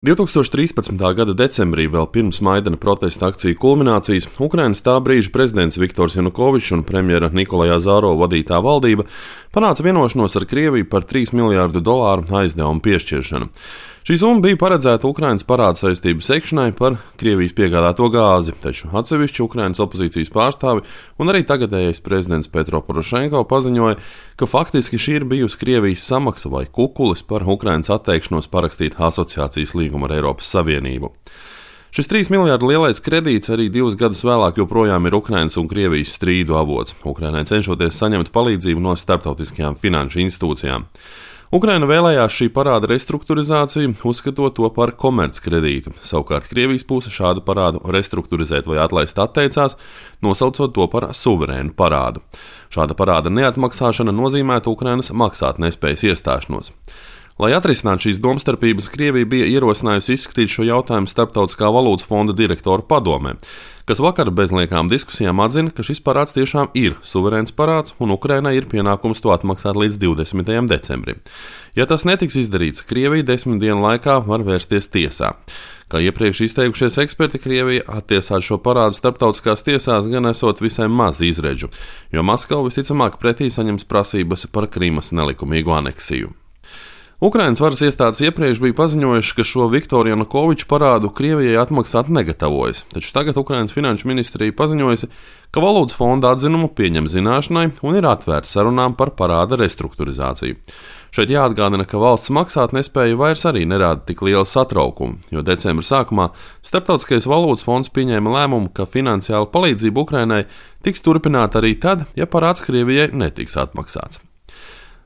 2013. gada decembrī, vēl pirms Maidana protesta akciju kulminācijas, Ukrainas tā brīža prezidents Viktors Janukovičs un premjera Nikolaja Azarova vadītā valdība panāca vienošanos ar Krieviju par $3 miljārdu aizdevumu piešķiršanu. Šī summa bija paredzēta Ukrainas parāda saistību sekšanai par Krievijas piegādāto gāzi, taču atsevišķi Ukrainas opozīcijas pārstāvi un arī tagadējais prezidents Petro Porošenko paziņoja, ka faktiski šī ir bijusi Krievijas samaksa vai kukulis par Ukrainas atteikšanos parakstīt asociācijas līgumu ar Eiropas Savienību. Šis $3 miljārdu lielais kredīts arī 2 gadus vēlāk joprojām ir Ukrainas un Krievijas strīdu avots, Ukrainai cenšoties saņemt palīdzību no starptautiskajām finanšu institūcijām. Ukraina vēlējās šī parāda restruktūrizāciju, uzskatot to par komerckredītu. Savukārt Krievijas puse šādu parādu restruktūrizēt vai atlaist atteicās, nosaucot to par suverēnu parādu. Šāda parāda neatmaksāšana nozīmētu Ukrainas maksātnespējas iestāšanos. Lai atrisinātu šīs domstarpības, Krievija bija ierosinājusi izskatīt šo jautājumu Starptautiskā valūtas fonda direktoru padomē, kas vakar bez liekām diskusijām atzina, ka šis parāds tiešām ir suverēns parāds un Ukrainai ir pienākums to atmaksāt līdz 20. decembrim. Ja tas netiks izdarīts, Krievija 10 dienu laikā var vērsties tiesā. Kā iepriekš izteikušies eksperti, Krievija attiesāt šo parādu starptautiskās tiesās gan esot visai maz izredzu, jo Maskava visticamāk pretī saņems prasības par Krimas nelikumīgu aneksiju. Ukrainas varas iestādes iepriekš bija paziņojuši, ka šo Viktoru Janukoviču parādu Krievijai atmaksāt negatavojas, taču tagad Ukrainas finanšu ministrija paziņojusi, ka valūtas fonda atzinumu pieņem zināšanai un ir atvērta sarunām par parāda restruktūrizāciju. Šeit jāatgādina, ka valsts maksātnespēja vairs arī nerāda tik lielu satraukumu, jo decembra sākumā Starptautiskais valūtas fonds pieņēma lēmumu, ka finansiāla palīdzība Ukrainai tiks turpināta arī tad, ja parāds Krievijai netiks atmaksāts.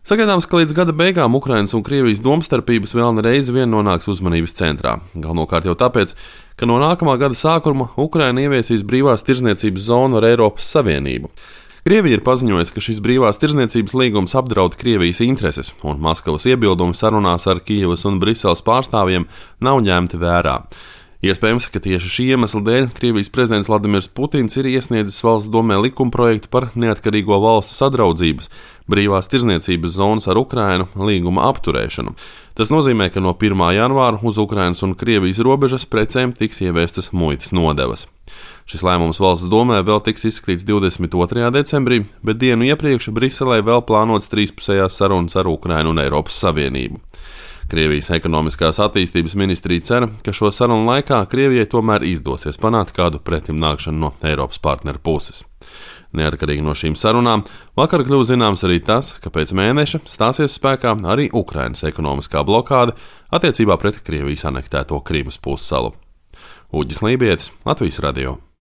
Sagaidāms, ka līdz gada beigām Ukrainas un Krievijas domstarpības vēl reizi vien nonāks uzmanības centrā. Galvenokārt jau tāpēc, ka no nākamā gada sākuma Ukraina ieviesīs brīvās tirdzniecības zonu ar Eiropas Savienību. Krievija ir paziņojusi, ka šis brīvās tirdzniecības līgums apdraud Krievijas intereses, un Maskavas iebildumi sarunās ar Kijevas un Briseles pārstāvjiem nav ņemti vērā. Iespējams, ka tieši šī iemesla dēļ Krievijas prezidents Vladimirs Putins ir iesniedzis valsts domē likumprojektu par neatkarīgo valstu sadraudzības, brīvās tirdzniecības zonas ar Ukrainu līguma apturēšanu. Tas nozīmē, ka no 1. janvāra uz Ukrainas un Krievijas robežas precēm tiks ieviestas muitas nodevas. Šis lēmums valsts domē vēl tiks izskatīts 22. decembrī, bet dienu iepriekš Briselē vēl plānots trīspusējās sarunas ar Ukrainu un Eiropas Savienību. Krievijas ekonomiskās attīstības ministrija cer, ka šo sarunu laikā Krievijai tomēr izdosies panākt kādu pretimnākšanu no Eiropas partneru puses. Neatkarīgi no šīm sarunām, vakar kļuva zināms arī tas, ka pēc mēneša stāsies spēkā arī Ukrainas ekonomiskā blokāde attiecībā pret Krievijas anektēto Krimas pussalu. Uģis Lībietis, Latvijas radio.